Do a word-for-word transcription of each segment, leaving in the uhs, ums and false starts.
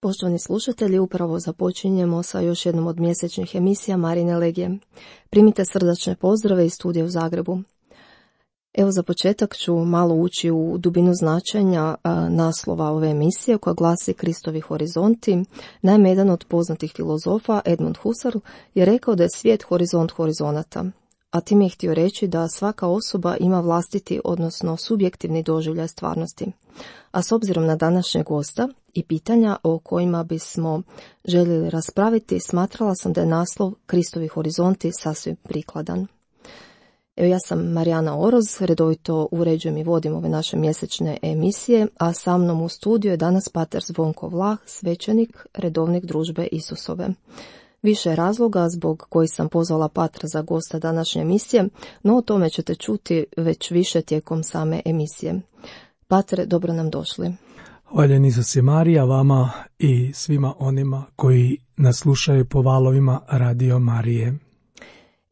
Poštovani slušatelji, upravo započinjemo sa još jednom od mjesečnih emisija Marine Legije. Primite srdačne pozdrave iz studija u Zagrebu. Evo za početak ću malo ući u dubinu značenja a, naslova ove emisije koja glasi Kristovi horizonti. Naime, jedan od poznatih filozofa, Edmund Husserl, je rekao da je svijet horizont horizonata. A tim je htio reći da svaka osoba ima vlastiti, odnosno subjektivni doživljaj stvarnosti. A s obzirom na današnjeg gosta i pitanja o kojima bismo željeli raspraviti, smatrala sam da je naslov Kristovi horizonti sasvim prikladan. Evo, ja sam Marijana Oroz, redovito uređujem i vodim ove naše mjesečne emisije, a sa mnom u studiju je danas pater Zvonko Vlah, svećenik, redovnik družbe Isusove. Više razloga zbog kojih sam pozvala patra za gosta današnje emisije, no o tome ćete čuti već više tijekom same emisije. Patre, dobro nam došli. Hvaljen Isus je Marija, vama i svima onima koji nas slušaju po valovima Radio Marije.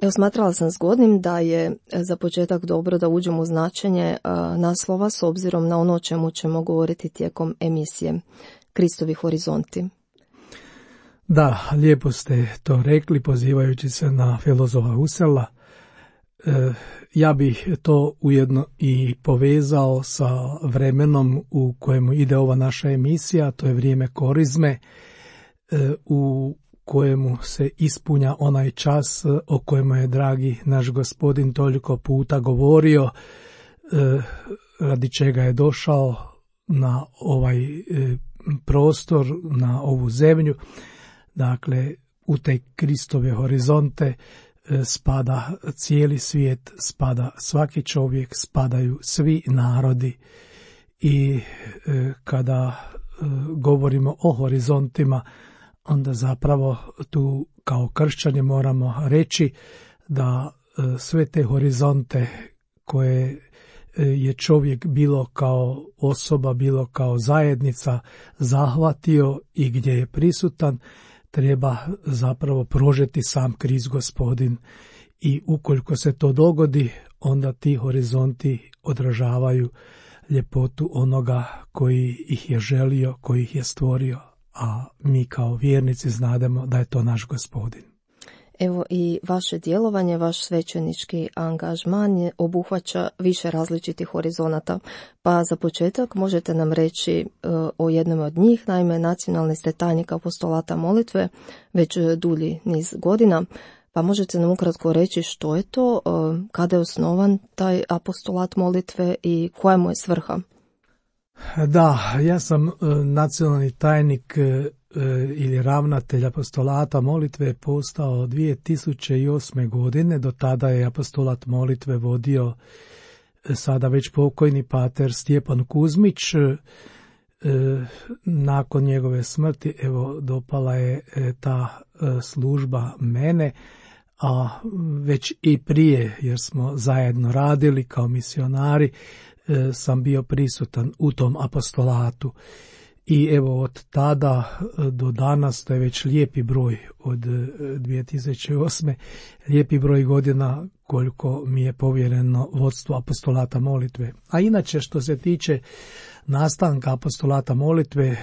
Evo, smatrala sam zgodnim da je za početak dobro da uđemo u značenje a, naslova s obzirom na ono o čemu ćemo govoriti tijekom emisije. Kristovi horizonti. Da, lijepo ste to rekli, pozivajući se na filozofa Husserla. E, ja bih to ujedno i povezao sa vremenom u kojemu ide ova naša emisija, to je vrijeme korizme, e, u kojemu se ispunja onaj čas o kojemu je dragi naš Gospodin toliko puta govorio, e, radi čega je došao na ovaj e, prostor, na ovu zemlju. Dakle, u te Kristove horizonte e, spada cijeli svijet, spada svaki čovjek, spadaju svi narodi i e, kada e, govorimo o horizontima, onda zapravo tu kao kršćani moramo reći da e, sve te horizonte koje e, je čovjek bilo kao osoba, bilo kao zajednica zahvatio i gdje je prisutan, treba zapravo prožeti sam Krist Gospodin. I ukoliko se to dogodi, onda ti horizonti odražavaju ljepotu onoga koji ih je želio, koji ih je stvorio, a mi kao vjernici znademo da je to naš Gospodin. Evo, i vaše djelovanje, vaš svećenički angažman je obuhvaća više različitih horizonata. Pa za početak možete nam reći uh, o jednom od njih. Naime, nacionalni ste tajnik apostolata molitve već dulji niz godina. Pa možete nam ukratko reći što je to, uh, kada je osnovan taj apostolat molitve i koja mu je svrha? Da, ja sam uh, nacionalni tajnik uh, ili ravnatelj apostolata molitve postao dvije tisuće osme. godine. Do tada je apostolat molitve vodio sada već pokojni pater Stjepan Kuzmić. Nakon njegove smrti, evo, dopala je ta služba mene, a već i prije, jer smo zajedno radili kao misionari, sam bio prisutan u tom apostolatu. I evo od tada do danas, to je već lijepi broj od dvije tisuće osme. lijepi broj godina koliko mi je povjereno vodstvo apostolata molitve. A inače, što se tiče nastanka apostolata molitve,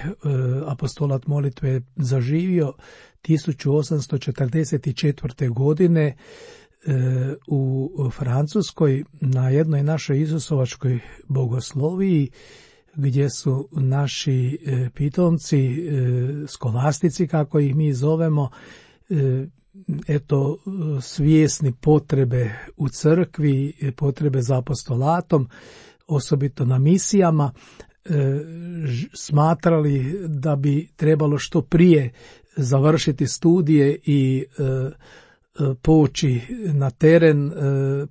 apostolat molitve je zaživio tisuću osamsto četrdeset četvrte. godine u Francuskoj na jednoj našoj isusovačkoj bogosloviji, gdje su naši e, pitomci, e, skolastici, kako ih mi zovemo, e, eto, svjesni potrebe u crkvi, potrebe za apostolatom, osobito na misijama, e, ž, smatrali da bi trebalo što prije završiti studije i e, poći na teren, e,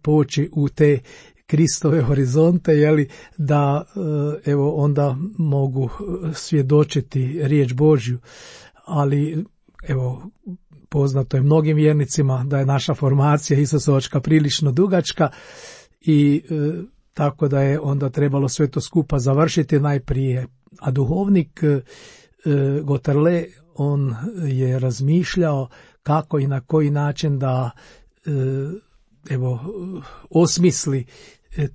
poći u te Kristove horizonte, jeli, da evo onda mogu svjedočiti riječ Božju. Ali evo, poznato je mnogim vjernicima da je naša formacija isusovačka prilično dugačka i e, tako da je onda trebalo sve to skupa završiti najprije. A duhovnik e, Goterle, on je razmišljao kako i na koji način da e, evo osmisli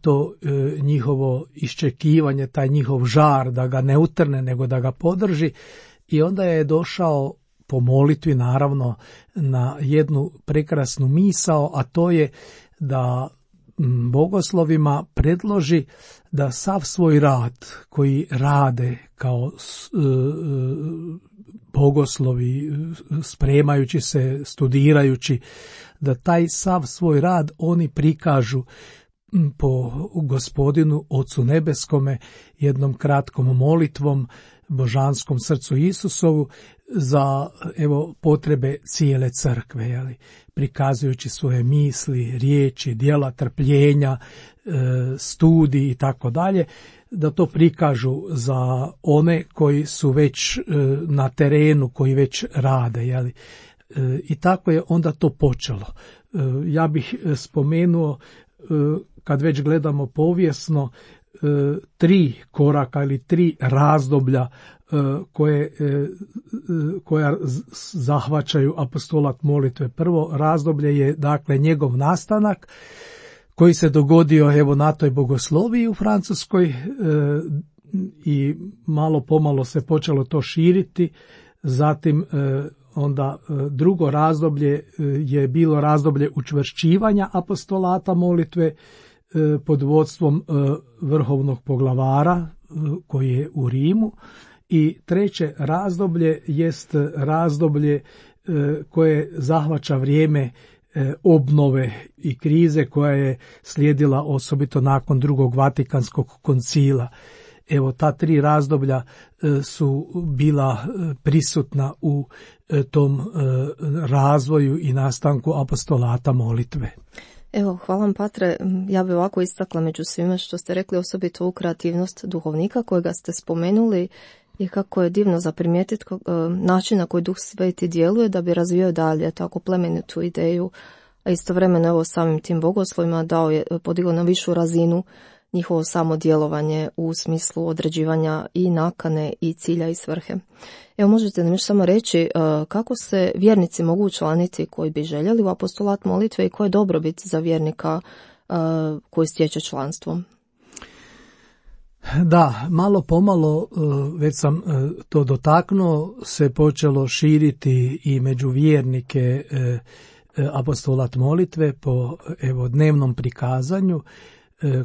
to e, njihovo iščekivanje, taj njihov žar, da ga ne utrne, nego da ga podrži. i onda je došao po molitvi naravno na jednu prekrasnu misao, a to je da bogoslovima predloži da sav svoj rad koji rade kao bogoslovi, spremajući se, studirajući, da taj sav svoj rad oni prikažu po Gospodinu Ocu Nebeskome jednom kratkom molitvom, božanskom srcu Isusovu za evo potrebe cijele crkve, jeli, prikazujući svoje misli, riječi, djela, trpljenja, e, studij i tako dalje, da to prikažu za one koji su već e, na terenu, koji već rade, jeli. E, i tako je onda to počelo. E, ja bih spomenuo, e, kad već gledamo povijesno, tri koraka ili tri razdoblja koje, koja zahvaćaju apostolat molitve. Prvo razdoblje je dakle njegov nastanak koji se dogodio evo na toj bogosloviji u Francuskoj i malo pomalo se počelo to širiti. Zatim onda drugo razdoblje je bilo razdoblje učvršćivanja apostolata molitve pod vodstvom vrhovnog poglavara koji je u Rimu, i treće razdoblje jest razdoblje koje zahvaća vrijeme obnove i krize koja je slijedila osobito nakon drugog Vatikanskog koncila. Evo, ta tri razdoblja su bila prisutna u tom razvoju i nastanku apostolata molitve. Evo, hvala vam, Patre. Ja bih ovako istakla među svime što ste rekli, osobito u kreativnost duhovnika kojega ste spomenuli, i kako je divno za primijetiti način na koji Duh Sveti djeluje da bi razvijao dalje tako plemenitu ideju, a istovremeno evo samim tim bogoslovima dao je, podigao na višu razinu njihovo samo djelovanje u smislu određivanja i nakane i cilja i svrhe. Evo, možete nam još samo reći kako se vjernici mogu učlaniti koji bi željeli u apostolat molitve i koje je dobrobit za vjernika koji stječe članstvo? Da, malo pomalo, već sam to dotaknuo, se počelo širiti i među vjernike apostolat molitve po evo dnevnom prikazanju,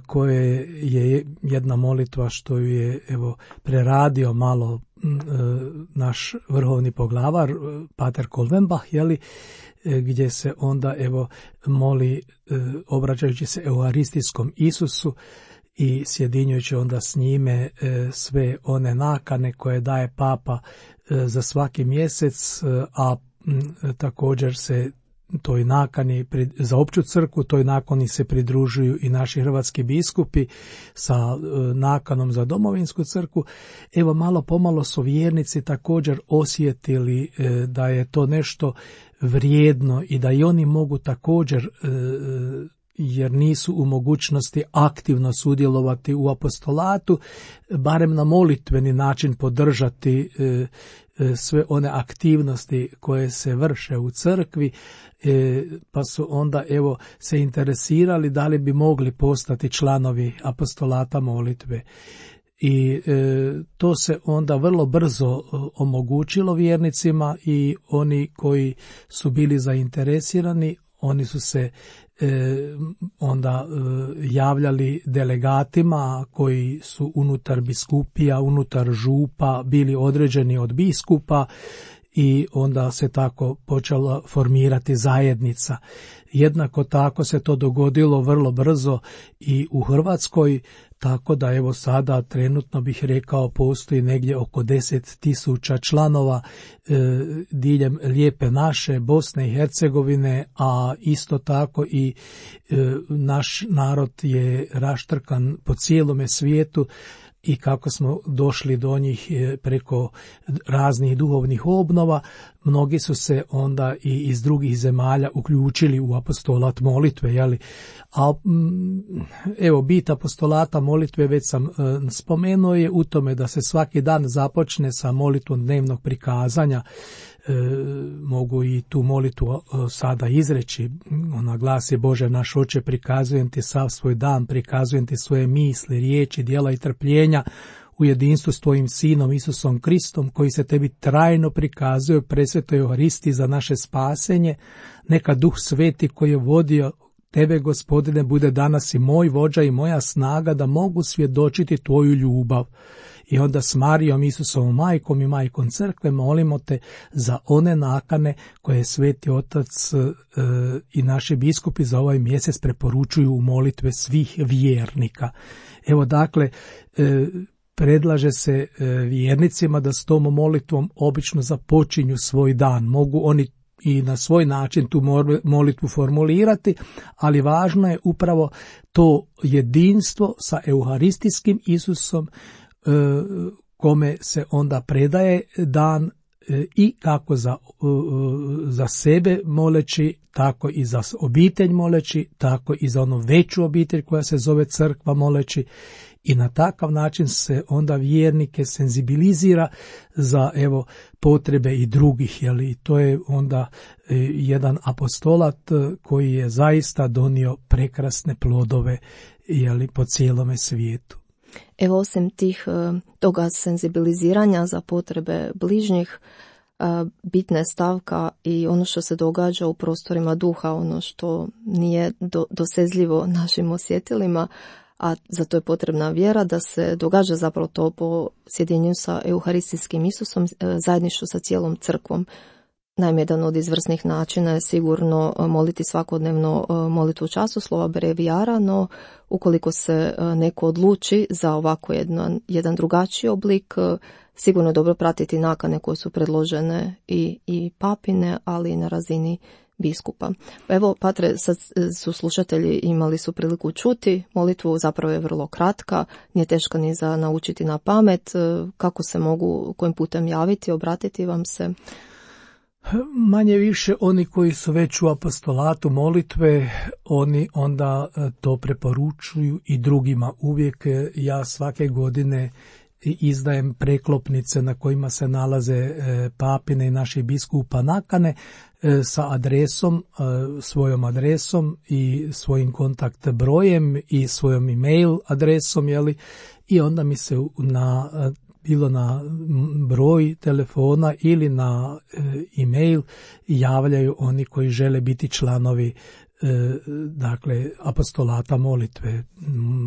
koje je jedna molitva što ju je evo preradio malo naš vrhovni poglavar Pater Kolvenbach, jeli, gdje se onda evo moli obraćajući se euharistijskom Isusu i sjedinjujući onda s njime sve one nakane koje daje Papa za svaki mjesec, a također se toj nakani za opću crkvu, toj nakani se pridružuju i naši hrvatski biskupi sa nakanom za domovinsku crkvu. Evo, malo pomalo su vjernici također osjetili da je to nešto vrijedno i da i oni mogu također, jer nisu u mogućnosti aktivno sudjelovati u apostolatu, barem na molitveni način podržati sve one aktivnosti koje se vrše u crkvi, pa su onda evo se interesirali da li bi mogli postati članovi apostolata molitve. I e, to se onda vrlo brzo omogućilo vjernicima, i oni koji su bili zainteresirani, oni su se e, onda e, javljali delegatima koji su unutar biskupija, unutar župa bili određeni od biskupa, i onda se tako počela formirati zajednica. Jednako tako se to dogodilo vrlo brzo i u Hrvatskoj, tako da evo sada trenutno bih rekao postoji negdje oko deset tisuća članova e, diljem lijepe naše Bosne i Hercegovine, a isto tako i e, naš narod je raštrkan po cijelome svijetu, i kako smo došli do njih preko raznih duhovnih obnova, mnogi su se onda i iz drugih zemalja uključili u apostolat molitve, jeli? A evo, bit apostolata molitve, već sam spomenuo, je u tome da se svaki dan započne sa molitvom dnevnog prikazanja. E, mogu i tu molitvu sada izreći. Ona glasi: Bože naš Oče, prikazujem ti sav svoj dan, prikazujem ti svoje misli, riječi, djela i trpljenja u jedinstvu s tvojim sinom Isusom Kristom, koji se tebi trajno prikazuje u presvetoj Euharisti za naše spasenje. Neka Duh Sveti koji je vodio tebe, Gospodine, bude danas i moj vođa i moja snaga da mogu svjedočiti tvoju ljubav. I onda s Marijom, Isusovom majkom i majkom crkve molimo te za one nakane koje Sveti Otac e, i naši biskupi za ovaj mjesec preporučuju u molitve svih vjernika. Evo dakle, e, predlaže se e, vjernicima da s tom molitvom obično započinju svoj dan. Mogu oni i na svoj način tu molitvu formulirati, ali važno je upravo to jedinstvo sa euharistijskim Isusom, kome se onda predaje dan i kako za, za sebe moleći, tako i za obitelj moleći, tako i za onu veću obitelj koja se zove crkva moleći, i na takav način se onda vjernike senzibilizira za evo potrebe i drugih, jeli, i to je onda jedan apostolat koji je zaista donio prekrasne plodove, jeli, po cijelome svijetu. Evo, osim tih toga senzibiliziranja za potrebe bližnjih, bitna stavka i ono što se događa u prostorima duha, ono što nije do, dosezljivo našim osjetilima, a za to je potrebna vjera, da se događa zapravo to po sjedinjenju sa euharistijskim Isusom, zajedništvu sa cijelom crkvom. Naime, jedan od izvrsnih načina je sigurno moliti svakodnevno molitvu časoslova brevijara, no ukoliko se neko odluči za ovako jedan, jedan drugačiji oblik, sigurno je dobro pratiti nakane koje su predložene i, i papine, ali i na razini biskupa. Evo, Patre, sad su slušatelji imali su priliku čuti, molitvu zapravo je vrlo kratka, nije teška ni za naučiti na pamet. Kako se mogu, kojim putem javiti, obratiti vam se? Manje više oni koji su već u apostolatu molitve, oni onda to preporučuju i drugima. Uvijek ja svake godine izdajem preklopnice na kojima se nalaze papine i naših biskupa nakane sa adresom, svojom adresom i svojim kontakt brojem i svojom e-mail adresom, jeli, i onda mi se na bilo na broj telefona ili na e-mail javljaju oni koji žele biti članovi dakle apostolata molitve.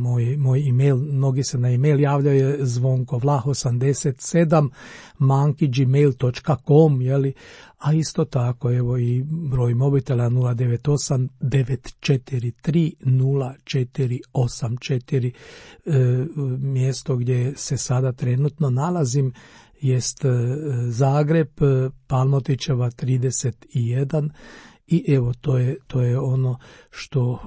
Moj, moj e-mail, mnogi se na e-mail javljaju zvonkovlah osamdeset sedam manki gmail dot com, jeli, a isto tako evo i broj mobitela nula devet osam devet četiri tri nula četiri osam četiri. E, mjesto gdje se sada trenutno nalazim jest Zagreb, Palmotićeva trideset jedan. I evo, to je, to je ono što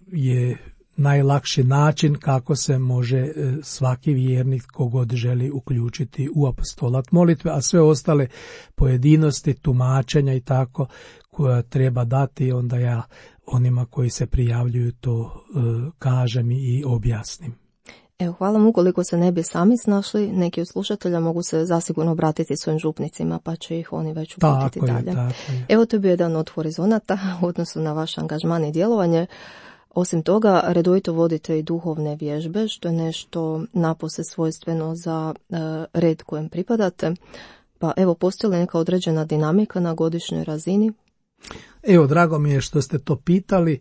je najlakši način kako se može svaki vjernik kogod želi uključiti u apostolat molitve, a sve ostale pojedinosti, tumačenja i tako koja treba dati, onda ja onima koji se prijavljuju to uh, kažem i objasnim. Evo, hvala mu. Ukoliko se ne bi sami snašli, neki od slušatelja mogu se zasigurno obratiti svojim župnicima, pa će ih oni već uputiti tako dalje. Je, tako je. Evo, to je bio jedan od horizonata u odnosu na vaš angažman i djelovanje. Osim toga, redovito vodite i duhovne vježbe, što je nešto napose svojstveno za uh, red kojem pripadate. Pa evo, postoji li neka određena dinamika na godišnjoj razini? Evo, drago mi je što ste to pitali.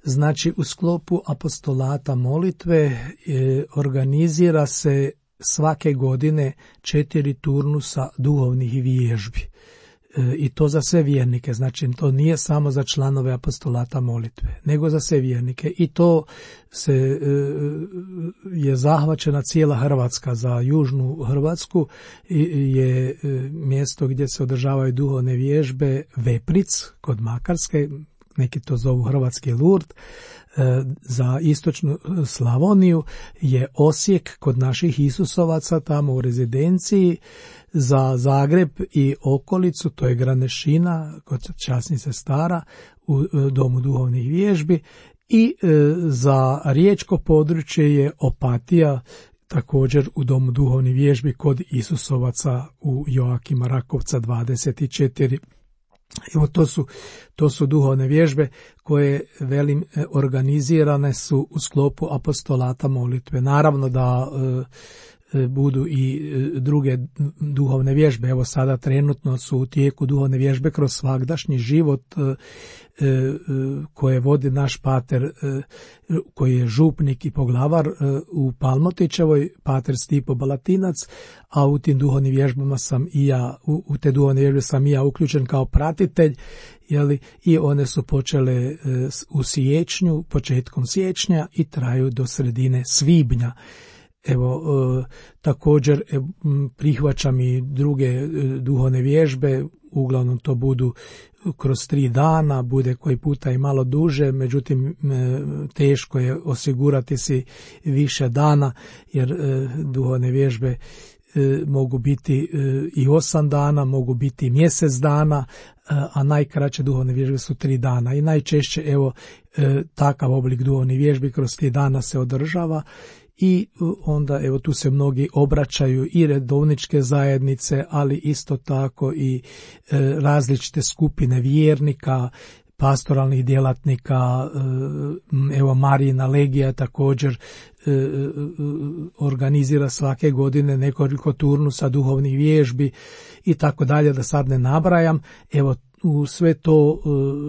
Znači, u sklopu apostolata molitve e, organizira se svake godine četiri turnusa duhovnih vježbi. E, I to za sve vjernike. Znači, to nije samo za članove apostolata molitve, nego za sve vjernike. I to se e, je zahvaćena cijela Hrvatska. Za južnu Hrvatsku je e, mjesto gdje se održavaju duhovne vježbe Vepric kod Makarske, neki to zovu Hrvatski Lurd. Za istočnu Slavoniju je Osijek kod naših Isusovaca tamo u rezidenciji. Za Zagreb i okolicu to je Granešina kod časnih sestara u domu duhovnih vježbi. I za riječko područje je Opatija, također u domu duhovnih vježbi kod Isusovaca u Joakima Rakovca dvadeset četiri. Evo, to su, to su duhovne vježbe koje, velim, organizirane su u sklopu apostolata molitve. Naravno da budu i druge duhovne vježbe. Evo sada trenutno su u tijeku duhovne vježbe kroz svagdašnji život koje vodi naš pater koji je župnik i poglavar u Palmotićevoj, pater Stipo Balatinac, a u tim duhovnim vježbama sam i ja, u te duhovne vježbe sam i ja uključen kao pratitelj, jeli, i one su počele u siječnju, početkom siječnja i traju do sredine svibnja. Evo, e, također e, prihvaćam i druge e, duhovne vježbe, uglavnom to budu kroz tri dana, bude koji puta i malo duže, međutim e, teško je osigurati si više dana, jer e, duhovne vježbe e, mogu biti e, i osam dana, mogu biti i mjesec dana, a najkraće duhovne vježbe su tri dana. I najčešće, evo, e, takav oblik duhovnih vježbi kroz tri dana se održava. I onda evo tu se mnogi obraćaju i redovničke zajednice, ali isto tako i e, različite skupine vjernika, pastoralnih djelatnika, e, evo Marijina legija također e, e, organizira svake godine nekoliko turnusa duhovnih vježbi i tako dalje, da sad ne nabrajam. Evo u sve to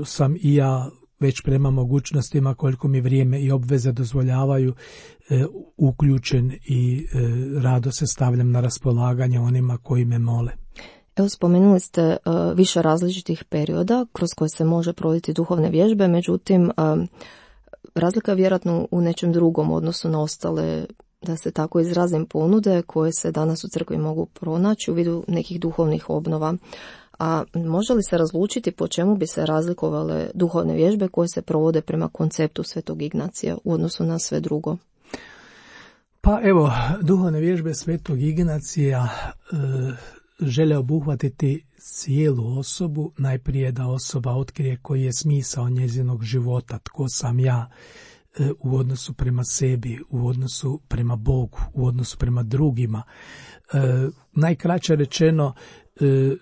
e, sam i ja već prema mogućnostima koliko mi vrijeme i obveze dozvoljavaju e, uključen i e, rado se stavljam na raspolaganje onima koji me mole. Evo, spomenuli ste uh, više različitih perioda kroz koje se može provoditi duhovne vježbe, međutim uh, razlika je vjerojatno u nečem drugom odnosu na ostale, da se tako izrazim, ponude koje se danas u crkvi mogu pronaći u vidu nekih duhovnih obnova. A može li se razlučiti po čemu bi se razlikovale duhovne vježbe koje se provode prema konceptu Svetog Ignacija u odnosu na sve drugo? Pa evo, duhovne vježbe Svetog Ignacija e, žele obuhvatiti cijelu osobu, najprije da osoba otkrije koji je smisao njezinog života, tko sam ja e, u odnosu prema sebi, u odnosu prema Bogu, u odnosu prema drugima. E, najkraće rečeno,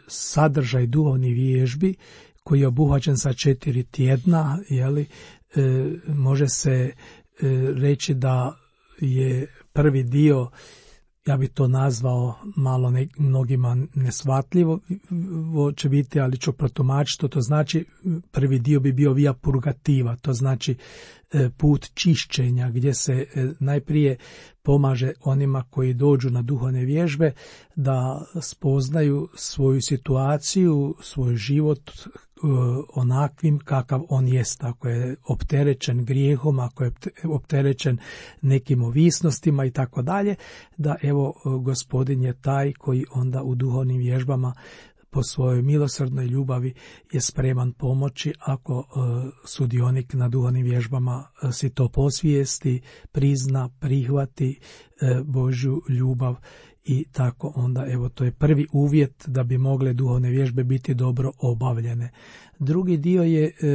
sadržaj duhovnih vježbi koji je obuhvaćen sa četiri tjedna, jeli, e, može se e, reći da je prvi dio, ja bi to nazvao malo ne, mnogima nesvatljivo će biti, ali ću protumačiti, to znači prvi dio bi bio via purgativa, to znači e, put čišćenja, gdje se e, najprije pomaže onima koji dođu na duhovne vježbe da spoznaju svoju situaciju, svoj život e, onakvim kakav on jest, ako je opterećen grijehom, ako je opterećen nekim ovisnostima i tako dalje, da evo Gospodin je taj koji onda u duhovnim vježbama po svojoj milosrdnoj ljubavi je spreman pomoći ako e, sudionik na duhovnim vježbama e, si to posvijesti, prizna, prihvati e, Božju ljubav i tako onda, evo, to je prvi uvjet da bi mogle duhovne vježbe biti dobro obavljene. Drugi dio je e,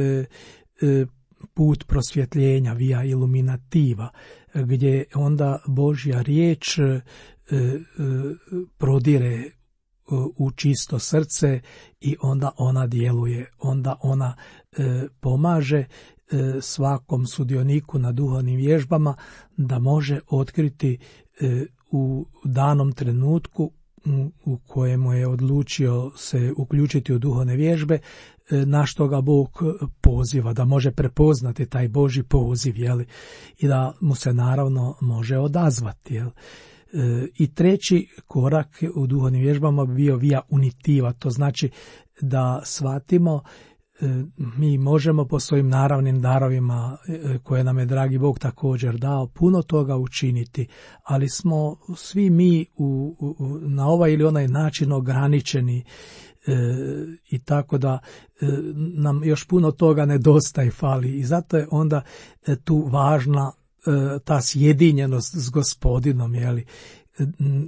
e, put prosvjetljenja, via illuminativa, gdje onda Božja riječ e, e, prodire u čisto srce i onda ona djeluje, onda ona e, pomaže e, svakom sudioniku na duhovnim vježbama da može otkriti e, u danom trenutku u kojemu je odlučio se uključiti u duhovne vježbe, e, na što ga Bog poziva, da može prepoznati taj Božji poziv, jeli, i da mu se naravno može odazvati, jel. I treći korak u duhovnim vježbama bi bio via unitiva, to znači da shvatimo mi možemo po svojim naravnim darovima koje nam je dragi Bog također dao puno toga učiniti, ali smo svi mi u, u, na ovaj ili onaj način ograničeni e, i tako da e, nam još puno toga nedostaje, fali, i zato je onda e, tu važna ta sjedinjenost s Gospodinom, jeli,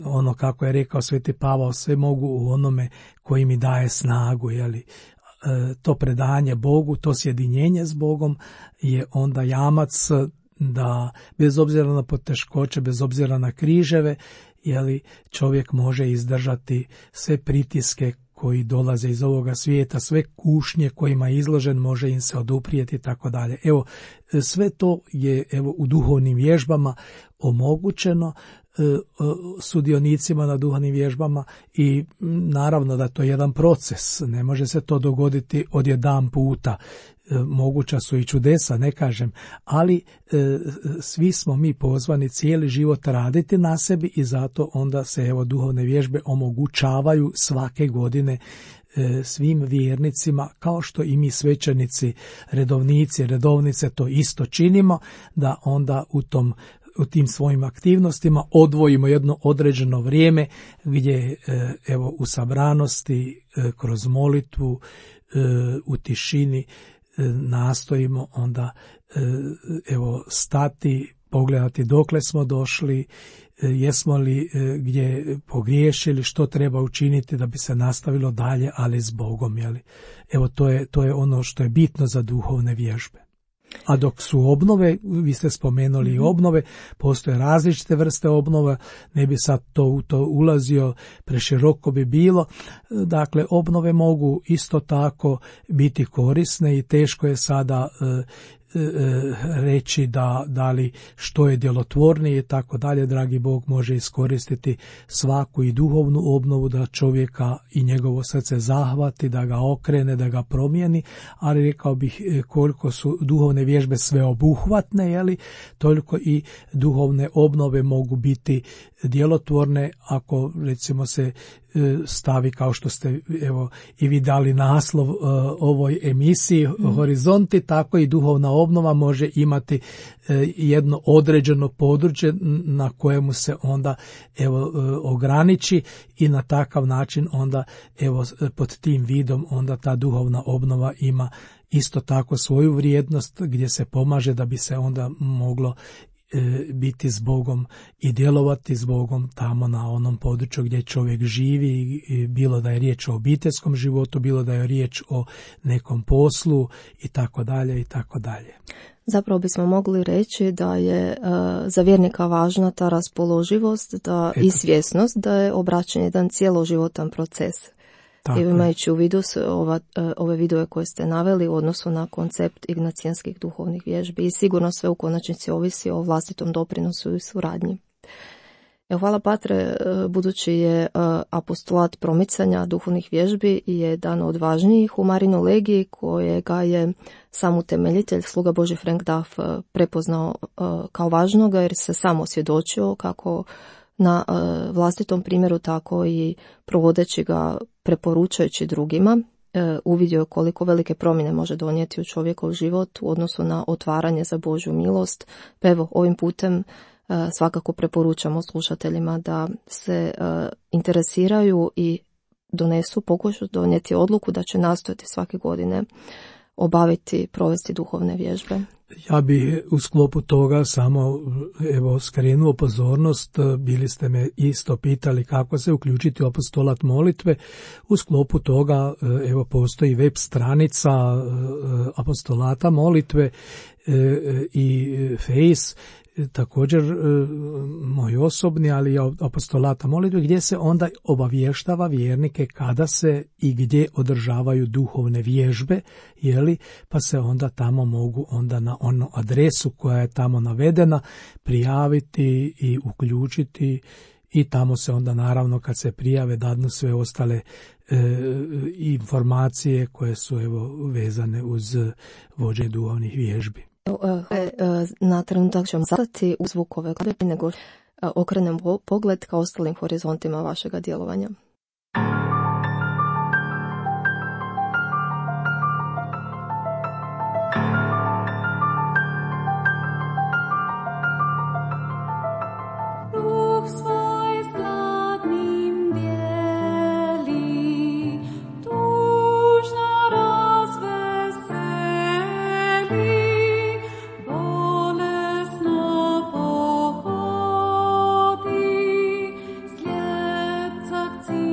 ono kako je rekao Sveti Pavao, sve mogu u onome koji mi daje snagu, jeli, to predanje Bogu, to sjedinjenje s Bogom je onda jamac da bez obzira na poteškoće, bez obzira na križeve, jeli, čovjek može izdržati sve pritiske koji dolaze iz ovoga svijeta, sve kušnje kojima je izložen, može im se oduprijeti i tako dalje. Evo, sve to je evo u duhovnim vježbama omogućeno sudionicima na duhovnim vježbama i naravno da to je jedan proces, ne može se to dogoditi odjedan puta. Moguća su i čudesa, ne kažem, ali e, svi smo mi pozvani cijeli život raditi na sebi i zato onda se evo duhovne vježbe omogućavaju svake godine e, svim vjernicima, kao što i mi svećenici, redovnici, redovnice to isto činimo, da onda u tom u tim svojim aktivnostima odvojimo jedno određeno vrijeme gdje evo u sabranosti, kroz molitvu, u tišini nastojimo onda evo stati, pogledati dokle smo došli, jesmo li gdje pogriješili, što treba učiniti da bi se nastavilo dalje, ali s Bogom. Jeli? Evo to je, to je ono što je bitno za duhovne vježbe. A dok su obnove, vi ste spomenuli i obnove, postoje različite vrste obnova, ne bi sad to u to ulazio, preširoko bi bilo. Dakle, obnove mogu isto tako biti korisne i teško je sada e, reći da, da li što je djelotvornije i tako dalje. Dragi Bog može iskoristiti svaku i duhovnu obnovu da čovjeka i njegovo srce zahvati, da ga okrene, da ga promijeni, ali rekao bih koliko su duhovne vježbe sveobuhvatne, jeli, toliko i duhovne obnove mogu biti djelotvorne ako recimo se stavi, kao što ste evo i vi dali naslov uh, ovoj emisiji mm. Horizonti, tako i duhovna obnova može imati uh, jedno određeno područje na kojemu se onda evo uh, ograniči i na takav način onda evo pod tim vidom onda ta duhovna obnova ima isto tako svoju vrijednost gdje se pomaže da bi se onda moglo biti s Bogom i djelovati s Bogom tamo na onom području gdje čovjek živi, bilo da je riječ o obiteljskom životu, bilo da je riječ o nekom poslu i tako dalje i tako dalje. Zapravo bismo mogli reći da je uh, za vjernika važna ta raspoloživost da, i svjesnost da je obraćanje jedan cijeloživotan proces. Tako I imajući u vidu ova, ove vidove koje ste naveli u odnosu na koncept ignacijanskih duhovnih vježbi i sigurno sve u konačnici ovisi o vlastitom doprinosu i suradnji. Evo, hvala Patre, budući je apostolat promicanja duhovnih vježbi jedan od važnijih u Marinoj legiji kojega je sam utemeljitelj, sluga Božji Frank Duff, prepoznao kao važnoga jer se sam osvjedočio kako na uh, vlastitom primjeru, tako i provodeći ga, preporučajući drugima, uh, uvidio koliko velike promjene može donijeti u čovjekov život u odnosu na otvaranje za Božju milost. Pa evo, ovim putem uh, svakako preporučamo slušateljima da se uh, interesiraju i donesu, pokušaju donijeti odluku da će nastojati svake godine obaviti, provesti duhovne vježbe. Ja bih u sklopu toga samo evo skrenuo pozornost, bili ste me isto pitali kako se uključiti u apostolat molitve. U sklopu toga evo postoji web stranica apostolata molitve i Face, također moj osobni, ali i apostolata molitve, gdje se onda obavještava vjernike kada se i gdje održavaju duhovne vježbe, jeli, pa se onda tamo mogu onda na onu adresu koja je tamo navedena prijaviti i uključiti i tamo se onda naravno kad se prijave dadnu sve ostale e, informacije koje su evo vezane uz vođenje duhovnih vježbi. Na trenutak ćemo zastati u zvukove glede nego okrenem pogled ka ostalim horizontima vašega djelovanja. See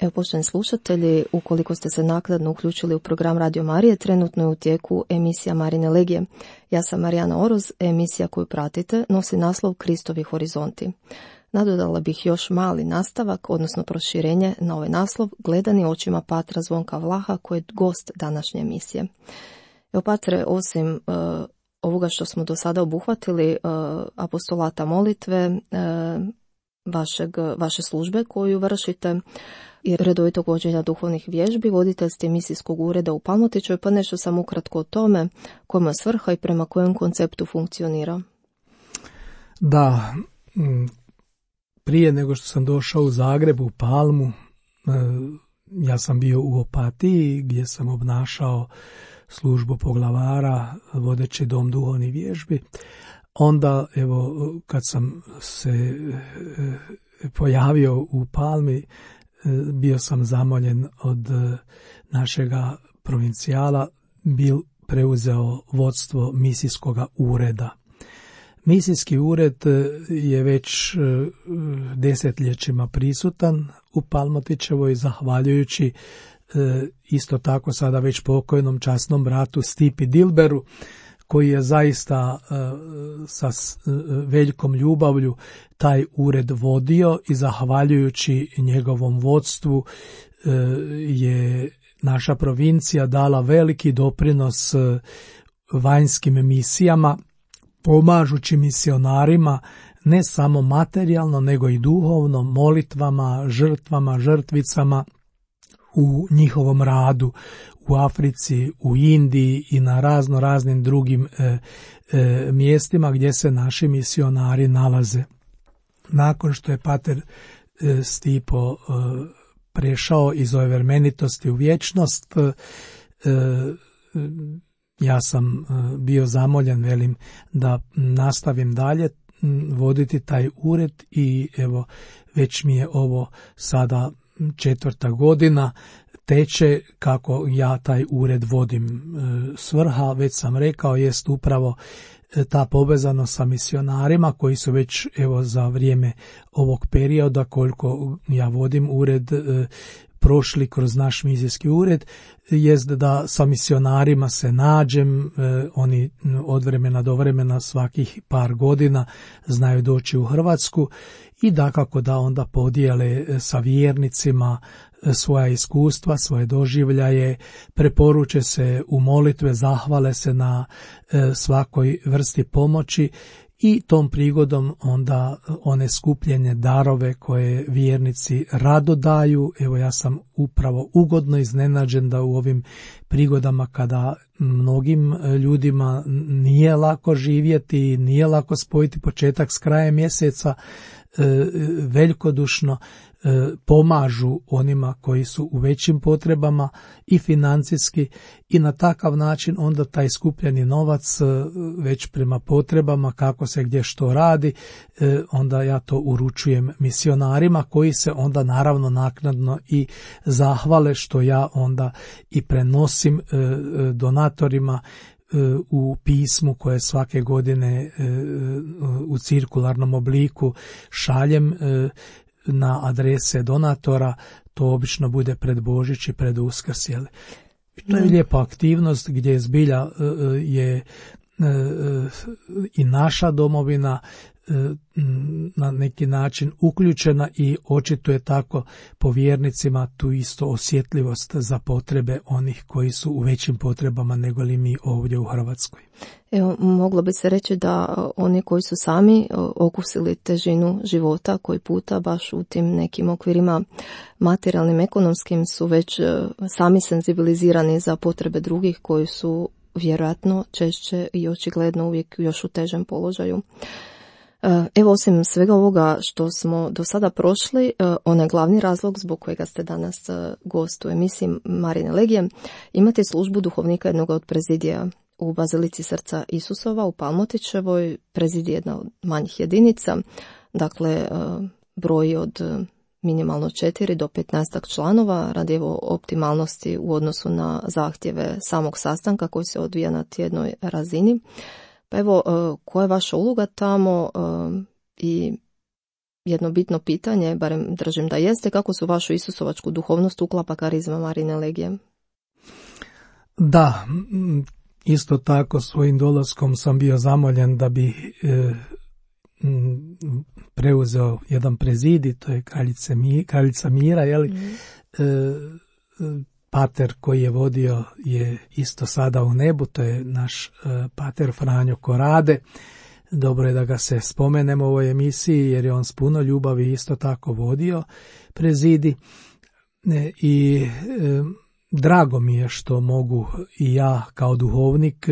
Evo, poštovani slušatelji, ukoliko ste se naknadno uključili u program Radio Marije, trenutno je u tijeku emisija Marine Legije. Ja sam Marijana Oroz, emisija koju pratite nosi naslov Kristovi horizonti. Nadodala bih još mali nastavak, odnosno proširenje na ovaj naslov, gledani očima patra Zvonka Vlaha, koji je gost današnje emisije. Evo, patre, osim uh, ovoga što smo do sada obuhvatili, uh, apostolata molitve, uh, vašeg, vaše službe koju vršite i redovitog vođenja duhovnih vježbi, voditelj ste misijskog ureda u Palmotićevoj, pa nešto sam ukratko o tome, kojima je svrha i prema kojem konceptu funkcionira. Da, prije nego što sam došao u Zagreb, u Palmu, ja sam bio u Opatiji gdje sam obnašao službu poglavara, vodeći dom duhovnih vježbi. Onda, evo, kad sam se pojavio u Palmi, bio sam zamoljen od našega provincijala, bil preuzeo vodstvo misijskog ureda. Misijski ured je već desetljećima prisutan u Palmotićevoj, zahvaljujući isto tako sada već pokojnom časnom bratu Stipi Dilberu, koji je zaista sa velikom ljubavlju taj ured vodio i zahvaljujući njegovom vodstvu je naša provincija dala veliki doprinos vanjskim misijama, pomažući misionarima ne samo materijalno nego i duhovno, molitvama, žrtvama, žrtvicama u njihovom radu u Africi, u Indiji i na razno raznim drugim e, e, mjestima gdje se naši misionari nalaze. Nakon što je pater e, Stipo e, prešao iz ove vremenitosti u vječnost, e, ja sam e, bio zamoljen, velim, da nastavim dalje voditi taj ured i evo, već mi je ovo sada četvrta godina teče kako ja taj ured vodim. Svrha, već sam rekao, jest upravo ta povezanost sa misionarima koji su već evo za vrijeme ovog perioda koliko ja vodim ured prošli kroz naš misijski ured, jest da sa misionarima se nađem, oni od vremena do vremena svakih par godina znaju doći u Hrvatsku i dakako da onda podijele sa vjernicima svoja iskustva, svoje doživljaje, preporuče se u molitve, zahvale se na svakoj vrsti pomoći i tom prigodom onda one skupljene darove koje vjernici rado daju. Evo, ja sam upravo ugodno iznenađen da u ovim prigodama kada mnogim ljudima nije lako živjeti, nije lako spojiti početak s krajem mjeseca, velikodušno pomažu onima koji su u većim potrebama i financijski i na takav način onda taj skupljeni novac već prema potrebama kako se gdje što radi, onda ja to uručujem misionarima koji se onda naravno naknadno i zahvale što ja onda i prenosim donatorima u pismu koje svake godine u cirkularnom obliku šaljem na adrese donatora. To obično bude pred Božić i pred Uskrs. To je lijepa aktivnost gdje zbilja je i naša domovina na neki način uključena i očito je tako po vjernicima tu isto osjetljivost za potrebe onih koji su u većim potrebama nego li mi ovdje u Hrvatskoj. Evo, moglo bi se reći da oni koji su sami okusili težinu života koji puta baš u tim nekim okvirima materijalnim, ekonomskim su već sami senzibilizirani za potrebe drugih koji su vjerojatno češće i očigledno uvijek još u težem položaju. Evo, osim svega ovoga što smo do sada prošli, onaj glavni razlog zbog kojega ste danas gost u emisiji Marine Legije, imate službu duhovnika jednog od prezidija u Bazilici Srca Isusova u Palmotićevoj. Prezidij je jedna od manjih jedinica, dakle broji od minimalno četiri do petnaestak članova radi evo optimalnosti u odnosu na zahtjeve samog sastanka koji se odvija na tjednoj razini. Pa evo, koja je vaša uloga tamo i jedno bitno pitanje, barem držim da jeste, kako su vašu isusovačku duhovnost uklapa karizma Marijine legije? Da, isto tako svojim dolaskom sam bio zamoljen da bi e, preuzeo jedan prezidij, to je kraljica, Mi, kraljica Mira, jeli? Mm. E, pater koji je vodio je isto sada u nebu, to je naš e, pater Franjo Korade. Dobro je da ga se spomenemo u ovoj emisiji jer je on s puno ljubavi isto tako vodio prezidij e, i e, drago mi je što mogu i ja kao duhovnik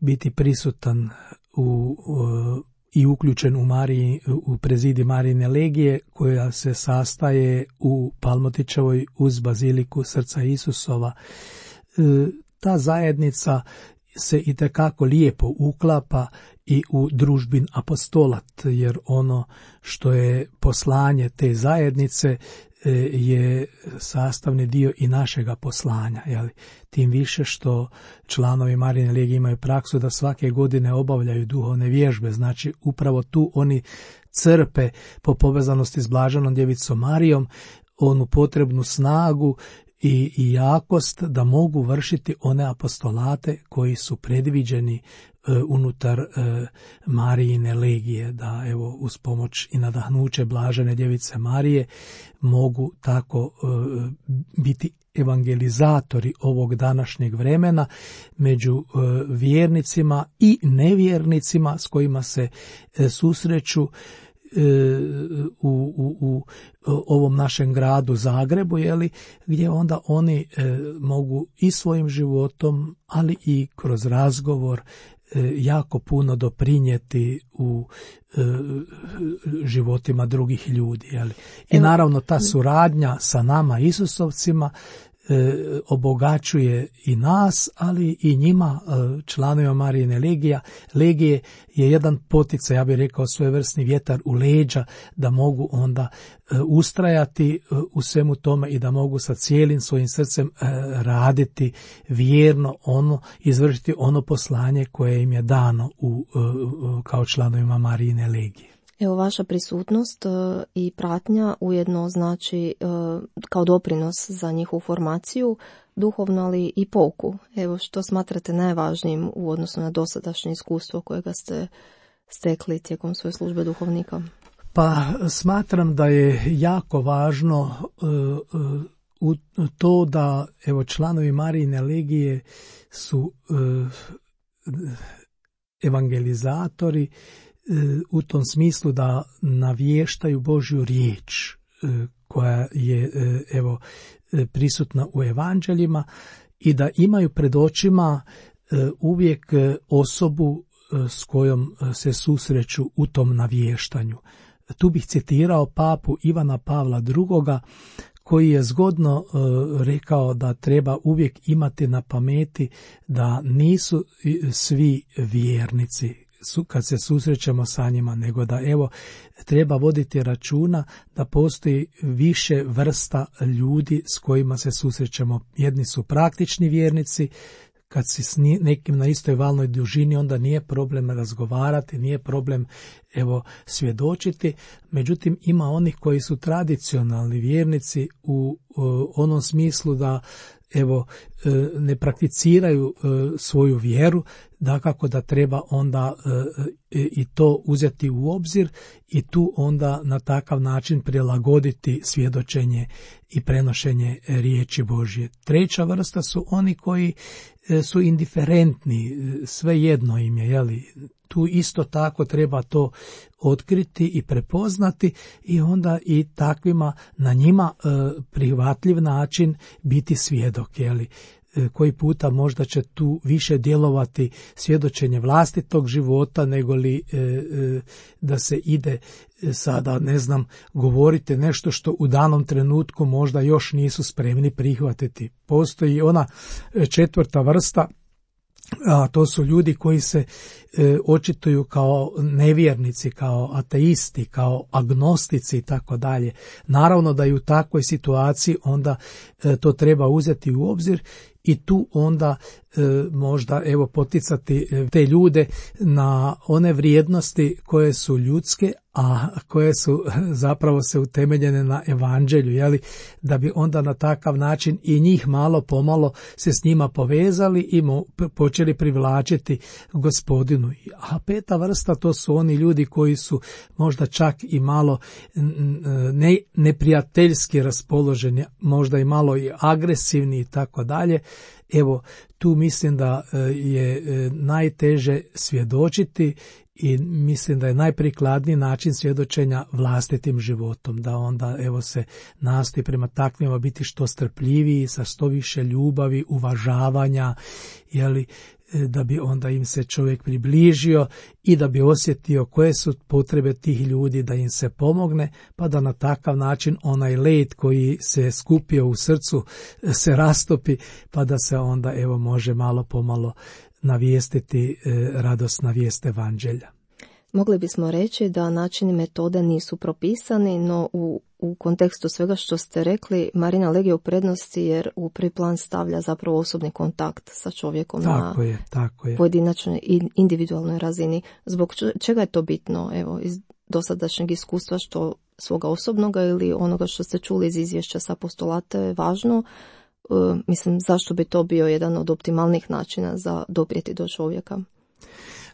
biti prisutan u, u i uključen u, Mariji, u prezidij Marijine legije koja se sastaje u Palmotićevoj uz baziliku Srca Isusova. E, ta zajednica se itekako lijepo uklapa i u družbin apostolat, jer ono što je poslanje te zajednice je sastavni dio i našega poslanja. Jeli? Tim više što članovi Marijine legije imaju praksu da svake godine obavljaju duhovne vježbe, znači upravo tu oni crpe po povezanosti s Blaženom djevicom Marijom onu potrebnu snagu i, i jakost da mogu vršiti one apostolate koji su predviđeni e, unutar e, Marijine legije, da evo uz pomoć i nadahnuće Blažene djevice Marije mogu tako e, biti evangelizatori ovog današnjeg vremena među e, vjernicima i nevjernicima s kojima se e, susreću U, u, u ovom našem gradu Zagrebu, jeli, gdje onda oni e, mogu i svojim životom, ali i kroz razgovor e, jako puno doprinijeti u e, životima drugih ljudi. Jeli. I naravno ta suradnja sa nama Isusovcima E, obogaćuje i nas, ali i njima, e, članovima Marijine legija. Legije je jedan poticaj, ja bih rekao svojevrsni vjetar u leđa, da mogu onda e, ustrajati e, u svemu tome i da mogu sa cijelim svojim srcem e, raditi vjerno ono, izvršiti ono poslanje koje im je dano u, e, kao članovima Marijine legije. Evo, vaša prisutnost uh, i pratnja ujedno znači uh, kao doprinos za njihovu formaciju, duhovno, ali i pouku. Evo, što smatrate najvažnijim u odnosu na dosadašnje iskustvo kojega ste stekli tijekom svoje službe duhovnika? Pa smatram da je jako važno uh, uh, to da evo članovi Marijine legije su uh, evangelizatori, u tom smislu da navještaju Božju riječ koja je evo prisutna u evanđeljima i da imaju pred očima uvijek osobu s kojom se susreću u tom navještanju. Tu bih citirao papu Ivana Pavla drugoga koji je zgodno uh, rekao da treba uvijek imati na pameti da nisu svi vjernici su, kad se susrećemo sa njima, nego da evo treba voditi računa da postoji više vrsta ljudi s kojima se susrećemo. Jedni su praktični vjernici, kad si s nekim na istoj valnoj dužini, onda nije problem razgovarati, nije problem evo svjedočiti. Međutim, ima onih koji su tradicionalni vjernici u, u onom smislu da evo ne prakticiraju svoju vjeru, dakako da treba onda i to uzeti u obzir i tu onda na takav način prilagoditi svjedočenje i prenošenje riječi Božje. Treća vrsta su oni koji su indiferentni, svejedno im je, jeli? Tu isto tako treba to otkriti i prepoznati i onda i takvima na njima e, prihvatljiv način biti svjedok, jeli? E, koji puta možda će tu više djelovati svjedočenje vlastitog života nego li e, e, da se ide sada, ne znam, govorite nešto što u danom trenutku možda još nisu spremni prihvatiti. Postoji ona četvrta vrsta, a to su ljudi koji se e, očituju kao nevjernici, kao ateisti, kao agnostici i tako dalje. Naravno da i u takvoj situaciji onda e, to treba uzeti u obzir i tu onda e, možda evo poticati te ljude na one vrijednosti koje su ljudske, a koje su zapravo se utemeljene na evanđelju, jeli, da bi onda na takav način i njih malo pomalo se s njima povezali i mu počeli privlačiti Gospodinu. A peta vrsta, to su oni ljudi koji su možda čak i malo ne, neprijateljski raspoloženi, možda i malo i agresivni i tako dalje. Evo, tu mislim da je najteže svjedočiti i mislim da je najprikladniji način svjedočenja vlastitim životom, da onda evo se nastoji prema takvima biti što strpljiviji, sa što više ljubavi, uvažavanja, jeli, da bi onda im se čovjek približio i da bi osjetio koje su potrebe tih ljudi, da im se pomogne, pa da na takav način onaj led koji se skupio u srcu se rastopi, pa da se onda evo može malo pomalo navijestiti radosna vijest evanđelja. Mogli bismo reći da načini metode nisu propisani, no u, u kontekstu svega što ste rekli, Marina Legija u prednosti jer u prvi plan stavlja zapravo osobni kontakt sa čovjekom tako na je, tako je. pojedinačnoj i individualnoj razini. Zbog čega je to bitno, evo, iz dosadašnjeg iskustva, što svoga osobnoga ili onoga što ste čuli iz izvješća sa apostolata je važno? Uh, mislim, zašto bi to bio jedan od optimalnih načina za doprijeti do čovjeka?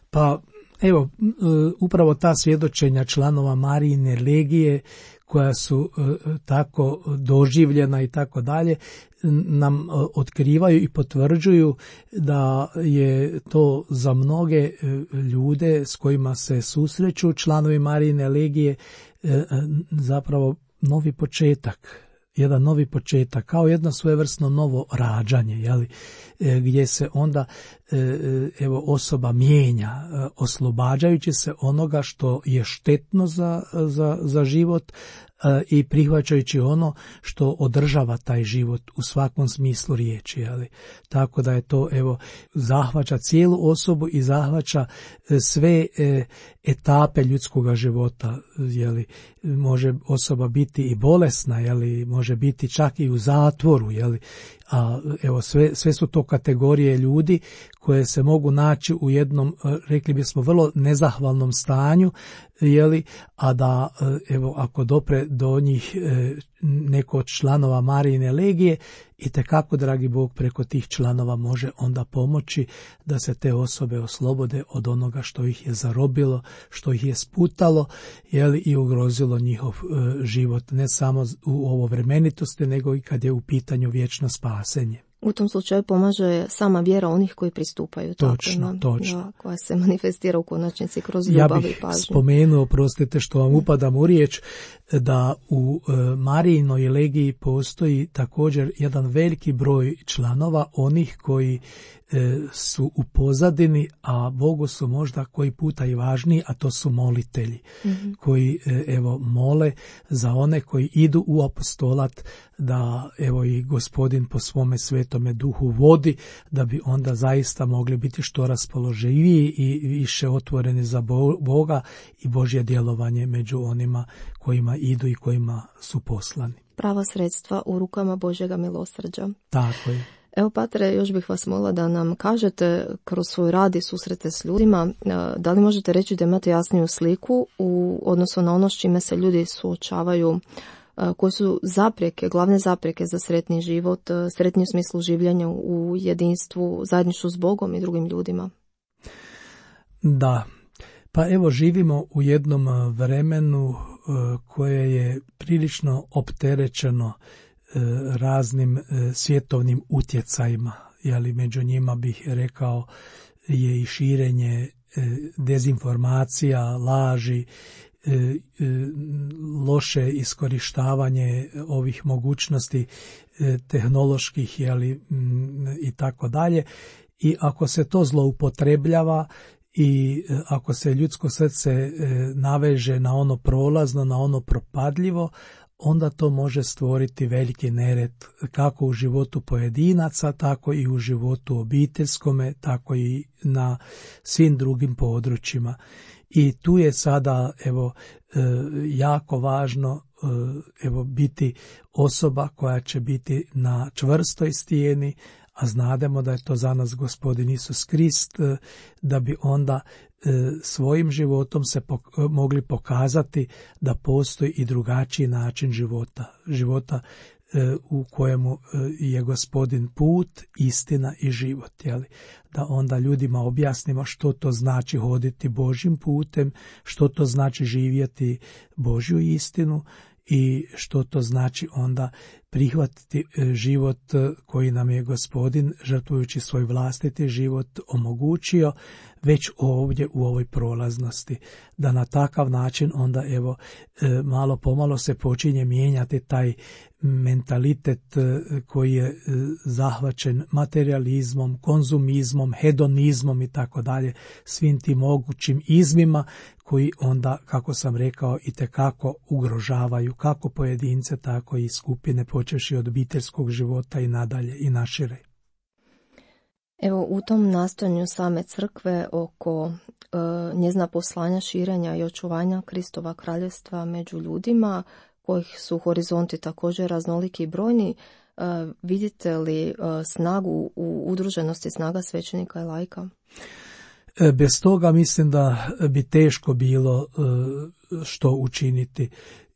Pa, evo, upravo ta svjedočenja članova Marijine legije, koja su tako doživljena i tako dalje, nam otkrivaju i potvrđuju da je to za mnoge ljude s kojima se susreću članovi Marijine legije zapravo novi početak. Jedan novi početak, kao jedno svojevrsno novo rađanje, jeli, gdje se onda evo osoba mijenja, oslobađajući se onoga što je štetno za, za, za život i prihvaćajući ono što održava taj život u svakom smislu riječi, jeli. Tako da je to evo zahvaća cijelu osobu i zahvaća sve etape ljudskog života, jeli. Može osoba biti i bolesna, jeli, može biti čak i u zatvoru, jeli. A evo sve, sve su to kategorije ljudi koje se mogu naći u jednom, rekli bismo, vrlo nezahvalnom stanju, jeli, a da evo ako dopre do njih neko od članova Marijine legije, itekako, dragi Bog, preko tih članova može onda pomoći da se te osobe oslobode od onoga što ih je zarobilo, što ih je sputalo, jeli, i ugrozilo njihov e, život, ne samo u ovo vremenitosti, nego i kad je u pitanju vječno spasenje. U tom slučaju pomaže sama vjera onih koji pristupaju. Točno, takvima, točno. Da, koja se manifestira u konačnici kroz ljubav i pažnju. Ja bih spomenuo, prostite što vam upadam u riječ, da u e, Marijinoj legiji postoji također jedan veliki broj članova, onih koji e, su u pozadini, a Bogu su možda koji puta i važniji, a to su molitelji, mm-hmm. koji e, evo mole za one koji idu u apostolat, da evo i Gospodin po svome svetome duhu vodi, da bi onda zaista mogli biti što raspoloživiji i više otvoreni za Boga i Božje djelovanje među onima kojima idu i kojima su poslani. Prava sredstva u rukama Božjega milosrđa. Tako je. Evo, Patre, još bih vas molila da nam kažete kroz svoj rad i susrete s ljudima, da li možete reći da imate jasniju sliku u odnosu na ono s čime se ljudi suočavaju, koje su zapreke, glavne zapreke za sretni život, sretni u smislu življenja u jedinstvu, zajedništvu s Bogom i drugim ljudima? Da, pa evo živimo u jednom vremenu koje je prilično opterećeno raznim svjetovnim utjecajima, jeli, među njima bih rekao je i širenje dezinformacija, laži, loše iskorištavanje ovih mogućnosti tehnoloških, jeli, i tako dalje. I ako se to zloupotrebljava i ako se ljudsko srce naveže na ono prolazno, na ono propadljivo, onda to može stvoriti veliki nered kako u životu pojedinaca, tako i u životu obiteljskome, tako i na svim drugim područjima. I tu je sada evo jako važno evo biti osoba koja će biti na čvrstoj stijeni, a znademo da je to za nas Gospodin Isus Krist, da bi onda svojim životom se pok- mogli pokazati da postoji i drugačiji način života, života u kojemu je Gospodin put, istina i život, jeli? Da onda ljudima objasnimo što to znači hoditi Božjim putem, što to znači živjeti Božju istinu i što to znači onda prihvatiti život koji nam je Gospodin, žrtvujući svoj vlastiti život, omogućio već ovdje u ovoj prolaznosti. Da na takav način onda evo malo pomalo se počinje mijenjati taj mentalitet koji je zahvaćen materializmom, konzumizmom, hedonizmom i tako dalje, svim tim mogućim izmima koji onda, kako sam rekao, itekako ugrožavaju kako pojedince, tako i skupine, počevši od obiteljskog života i nadalje i našire. Evo, u tom nastojanju same crkve oko e, njezina poslanja, širenja i očuvanja Kristova kraljevstva među ljudima, kojih su horizonti također raznoliki i brojni, e, vidite li e, snagu u udruženosti snaga svećenika i laika? Bez toga mislim da bi teško bilo e, što učiniti.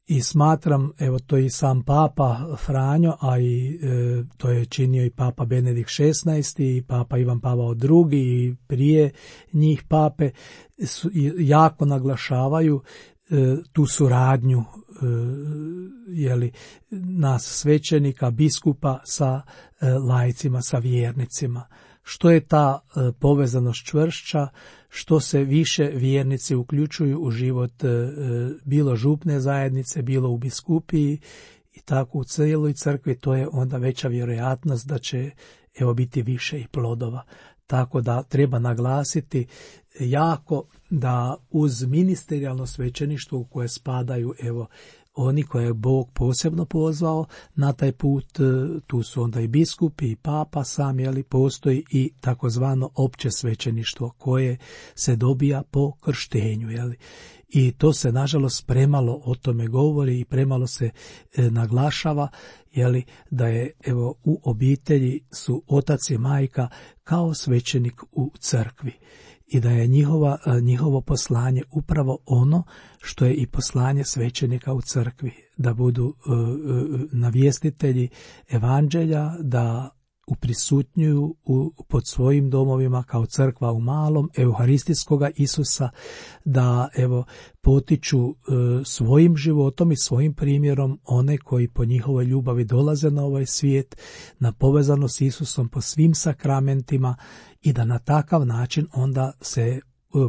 I smatram, evo to i sam Papa Franjo, a i e, to je činio i Papa Benedikt šesnaesti i Papa Ivan Pavao drugi i prije njih pape, su, jako naglašavaju e, tu suradnju e, jeli, nas svećenika, biskupa sa e, laicima, sa vjernicima. Što je ta e, povezanost čvršća, što se više vjernici uključuju u život e, bilo župne zajednice, bilo u biskupiji i tako u cijeloj crkvi, to je onda veća vjerojatnost da će evo biti više i plodova. Tako da treba naglasiti jako da uz ministerijalno svećeništvo u koje spadaju evo oni koje je Bog posebno pozvao na taj put, tu su onda i biskupi i papa sam, jeli, postoji i takozvano opće svećeništvo koje se dobija po krštenju, jeli. I to se nažalost premalo o tome govori i premalo se e, naglašava, jeli, da je evo u obitelji su otac i majka kao svećenik u crkvi. I da je njihova, njihovo poslanje upravo ono što je i poslanje svećenika u crkvi, da budu uh, navjestitelji evanđelja, da uprisutnjuju u, pod svojim domovima kao crkva u malom euharistijskoga Isusa, da evo potiču uh, svojim životom i svojim primjerom one koji po njihovoj ljubavi dolaze na ovaj svijet, na povezanost s Isusom po svim sakramentima i da na takav način onda se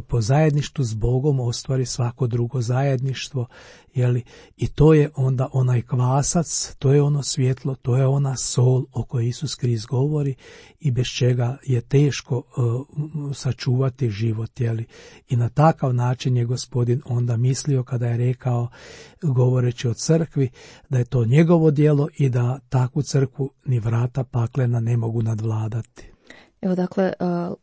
po zajedništvu s Bogom ostvari svako drugo zajedništvo, jeli? I to je onda onaj kvasac, to je ono svjetlo, to je ona sol o kojoj Isus Krist govori i bez čega je teško uh, sačuvati život, jeli? I na takav način je Gospodin onda mislio kada je rekao, govoreći o crkvi, da je to njegovo djelo i da takvu crkvu ni vrata paklena ne mogu nadvladati. Evo dakle,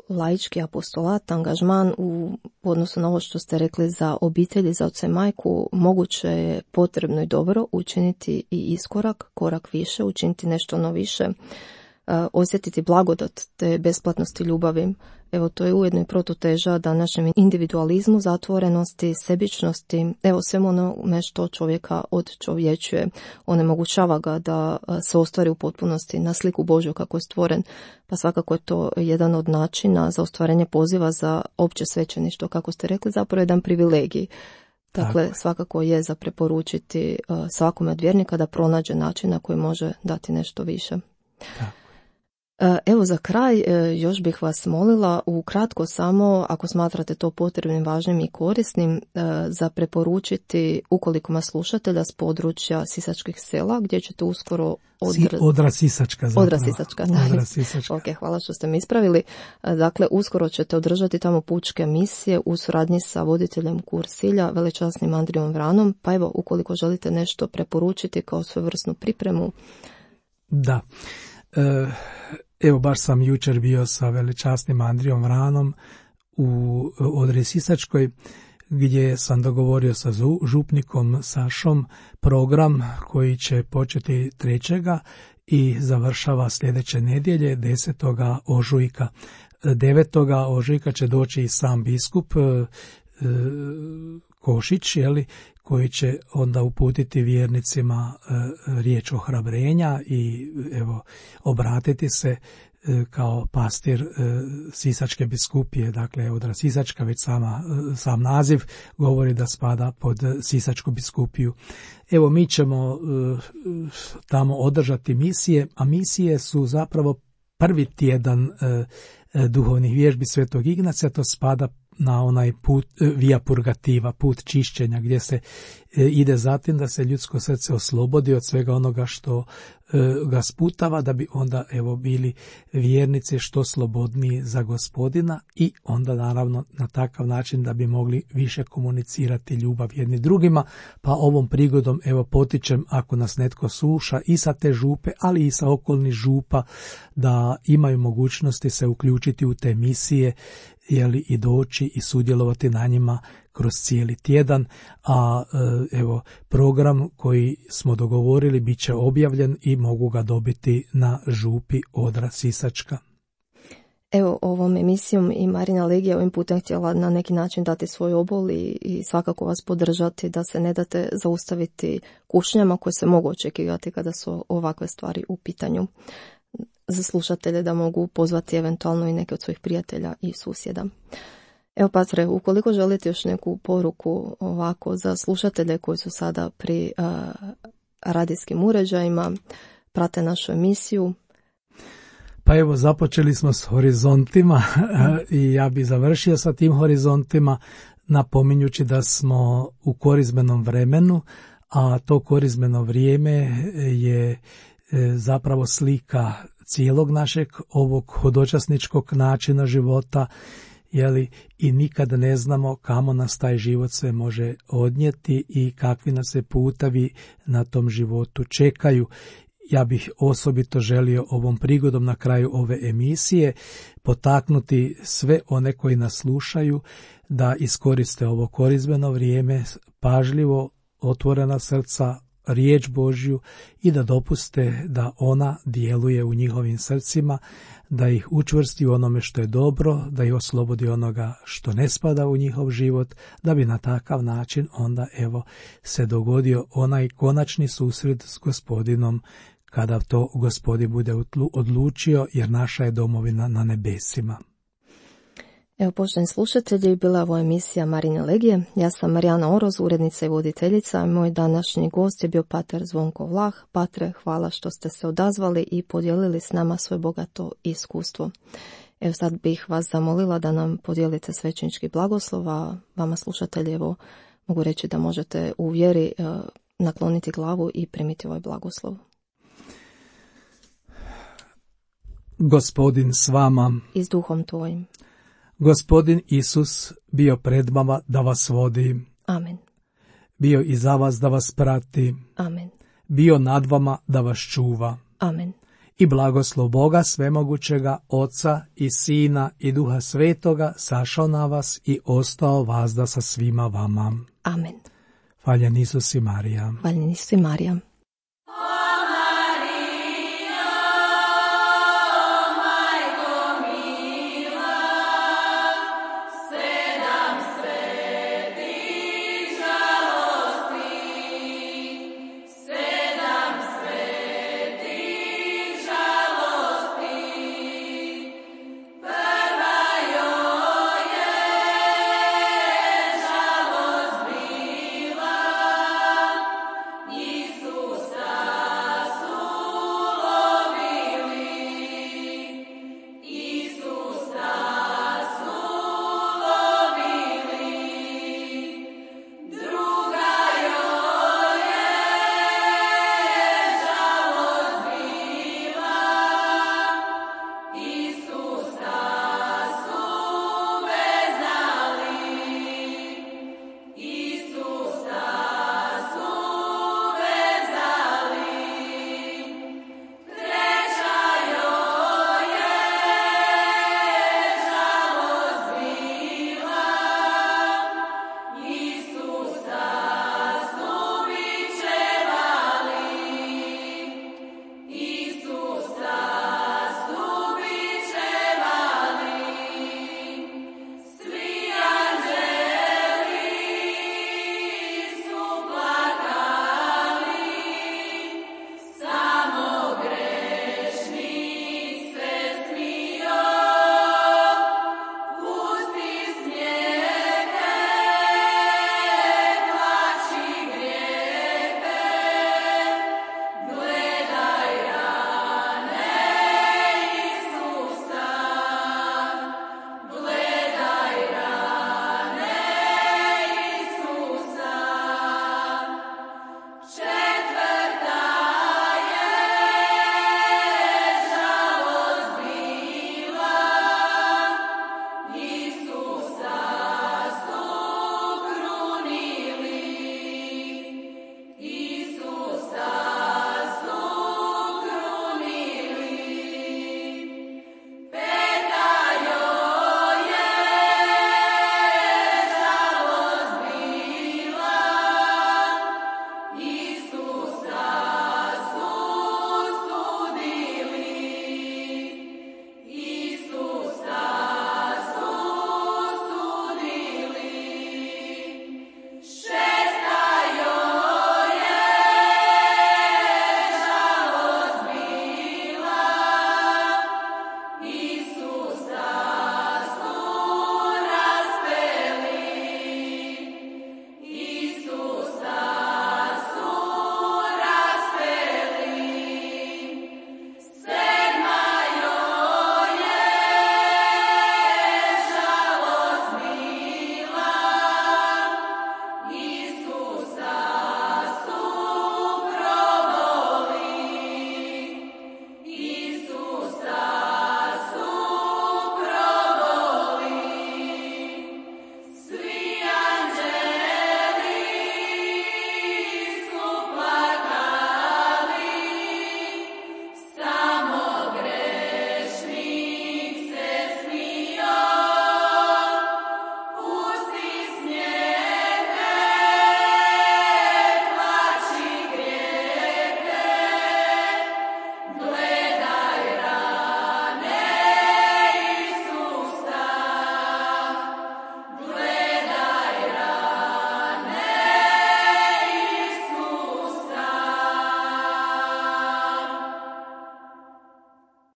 laički apostolat, angažman u odnosu na ovo što ste rekli za obitelji, za oca i majku, moguće je, potrebno i dobro učiniti i iskorak, korak više, učiniti nešto ono više, osjetiti blagodat te besplatnosti ljubavi. Evo to je ujedno i protuteža današnjem individualizmu, zatvorenosti, sebičnosti, evo svemu onome što čovjeka odčovječuje, onemogućava ga da se ostvari u potpunosti na sliku Božju kako je stvoren, pa svakako je to jedan od načina za ostvarenje poziva za opće svećeništvo, kako ste rekli, zapravo jedan privilegij. Dakle, Tako. svakako je za preporučiti svakome od vjernika da pronađe način na koji može dati nešto više. Tako. Evo za kraj još bih vas molila ukratko samo, ako smatrate to potrebnim, važnim i korisnim, za preporučiti, ukoliko nas slušate, da s područja Sisačkih sela, gdje ćete uskoro odra... Odra Sisačka zapravo. Odra Sisačka, Odra Sisačka. Ok, hvala što ste mi ispravili. Dakle, uskoro ćete održati tamo pučke misije u suradnji sa voditeljem kursilja, velečasnim Andrijom Vranom, pa evo, ukoliko želite nešto preporučiti kao svojevrsnu pripremu. Da. E... Evo, baš sam jučer bio sa velečasnim Andrijom Vranom u Odri Sisačkoj, gdje sam dogovorio sa župnikom Sašom program koji će početi trećega i završava sljedeće nedjelje desetoga ožujka. devetoga ožujka će doći i sam biskup e, Košić, jeli, koji će onda uputiti vjernicima e, riječ ohrabrenja i evo obratiti se e, kao pastir e, Sisačke biskupije, dakle Odra Sisačka, već sama, e, sam naziv govori da spada pod Sisačku biskupiju. Evo mi ćemo e, tamo održati misije, a misije su zapravo prvi tjedan e, e, duhovnih vježbi Svetog Ignacija, to spada na onaj put via purgativa, put čišćenja, gdje se e, ide zatim da se ljudsko srce oslobodi od svega onoga što e, ga sputava, da bi onda evo bili vjernici što slobodniji za Gospodina i onda naravno na takav način da bi mogli više komunicirati ljubav jedni drugima. Pa ovom prigodom evo potičem, ako nas netko sluša i sa te župe, ali i sa okolnih župa, da imaju mogućnosti se uključiti u te misije, jeli, i doći i sudjelovati na njima kroz cijeli tjedan, a evo program koji smo dogovorili bit će objavljen i mogu ga dobiti na župi Odra Sisačka. Evo, ovom emisijom i Marina Legija ovim putem htjela na neki način dati svoj obol i, i svakako vas podržati da se ne date zaustaviti kušnjama koje se mogu očekivati kada su ovakve stvari u pitanju. Za slušatelje da mogu pozvati eventualno i neke od svojih prijatelja i susjeda. Evo, patre, ukoliko želite još neku poruku ovako za slušatelje koji su sada pri uh, radijskim uređajima, prate našu emisiju. Pa evo, započeli smo s horizontima i ja bi završio sa tim horizontima napominjući da smo u korizmenom vremenu, a to korizmeno vrijeme je zapravo slika cijelog našeg ovog hodočasničkog načina života, jeli, i nikad ne znamo kamo nas taj život sve može odnijeti i kakvi nas se putevi na tom životu čekaju. Ja bih osobito želio ovom prigodom na kraju ove emisije potaknuti sve one koji nas slušaju da iskoriste ovo korizmeno vrijeme, pažljivo, otvorena srca, riječ Božju i da dopuste da ona djeluje u njihovim srcima, da ih učvrsti u onome što je dobro, da ih oslobodi onoga što ne spada u njihov život, da bi na takav način onda evo se dogodio onaj konačni susret s Gospodinom kada to Gospodin bude odlučio, jer naša je domovina na nebesima. Evo, poštovani slušatelji, bila je ovo emisija Marine Legije. Ja sam Marijana Oroz, urednica i voditeljica. Moj današnji gost je bio pater Zvonko Vlah. Patre, hvala što ste se odazvali i podijelili s nama svoje bogato iskustvo. Evo, sad bih vas zamolila da nam podijelite svećenički blagoslov, a vama slušatelji, evo, mogu reći da možete u vjeri eh, nakloniti glavu i primiti ovaj blagoslov. Gospodin s vama I s duhom tvojim. Gospodin Isus bio pred vama da vas vodi. Amen. Bio i za vas da vas prati. Amen. Bio nad vama da vas čuva. Amen. I blagoslov Boga svemogućega, Oca i Sina i Duha Svetoga sašao na vas i ostao vazda sa svima vama. Amen. Hvaljen Isus i Marija. Hvaljen Isus i Marija.